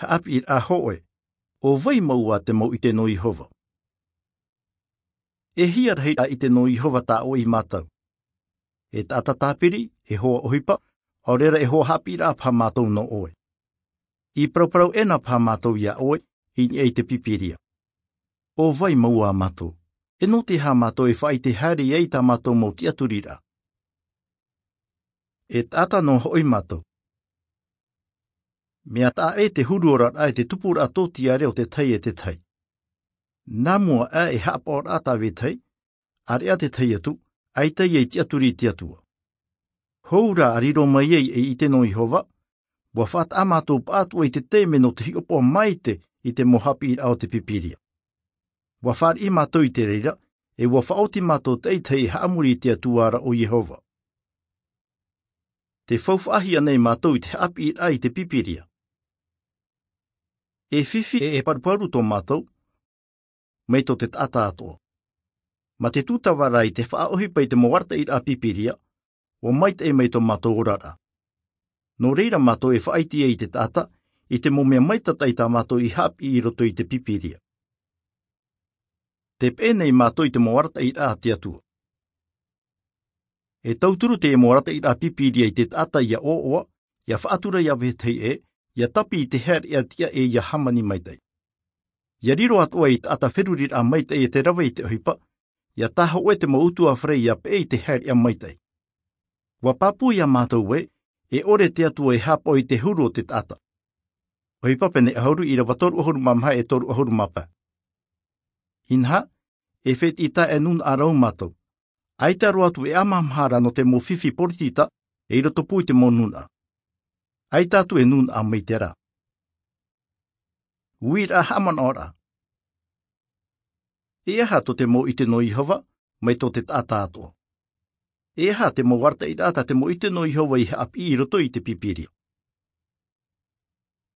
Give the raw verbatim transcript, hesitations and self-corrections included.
Haʻapiʻiraʻa hōʻē. ʻO vai mau ā te mau ʻite nō Iehova? E hia rahi ʻite nō Iehova tā ʻoe i mātau? E taʻata tāpiri, e hoa ʻohipa, ʻaore rā e hoa haʻapiʻiraʻa paha mātou nō ʻoe. I parauparau ʻē na paha mātou iā ʻoe i niʻa i te Pīpīria. ʻO vai mau ā mātou? E nō te aha mātou e faʻaʻite haere ai i tā mātou mau tiʻaturiraʻa? E taʻata nō hoʻi mātou. Mea taʻa ʻē te huru oraraʻa e te tupuraʻa tōtiare o te tahi e te tahi. Nā mua aʻe e haʻapaʻoraʻa tā vetahi, ʻāreʻa te tahi atu, ʻaita ia i tiʻaturi i te Atua. Hou rā ʻa riro mai ai ei ʻite nō Iehova, ʻua faʻataʻa mātou pāʻatoʻa i te taime nō te hiʻopoʻa maite i te mau haʻapiʻiraʻa o te Pīpīria. ʻUa fāriʻi mātou i te reira, e ʻua faʻaoti mātou taʻitahi e haʻamori i te Atua ra ʻo Iehova. Te faufaʻahia nei mātou i te haʻapiʻiraʻa i te Pīpīria. E fifi e e paruparu tō mātou, mai tō te taʻata atoʻa. Mā te tūtava rā i te faʻaʻohipa i te mau arataʻiraʻa Pīpīria, ʻua maitaʻi mai tō mātou oraraʻa. Nō reira mātou e faʻaʻite ai i te taʻata, i te mau mea maitataʻi tā mātou i haʻapiʻi i roto i te Pīpīria. Te peʻe nei mātou i te mau arataʻiraʻa a te Atua. E tauturu te mau arataʻiraʻa Pīpīria i te taʻata ʻia ʻoaʻoa, ʻia faʻatura iā vetahi ʻē, ʻia tāpī i te haereʻa tiʻa ʻe ʻia hāmani maitaʻi. ʻIa riro atoʻa ei taʻata feruriraʻa maitaʻi e te rave i te ʻohipa, ʻia tāhōʻē te mau ʻutuāfare ʻia peʻe i te haereʻa maitaʻi. ʻUa pāpū iā mātou ē, e ʻore te Atua e haʻapaʻo i te huru o te taʻata. ʻOhipa pene ʻahuru, ʻīrava toru ʻahuru mā maha e toru ʻahuru mā pae. Inaha, e fētiʻi taʻe nūnaʻa rau mātou. ʻAita roa atu e ʻamahamaha ra nō te mau fifi poritita, e i roto pū i te mau nūnaʻa. ʻAita atu e nūnaʻa maite ra. Uiraʻa haʻamanaʻoraʻa. E aha tō te mau ʻite nō Iehova, mai tō te taʻata atoʻa? E aha te mau arataʻiraʻa tā te mau ʻite nō Iehova i haʻapiʻi i roto i te Pīpīria?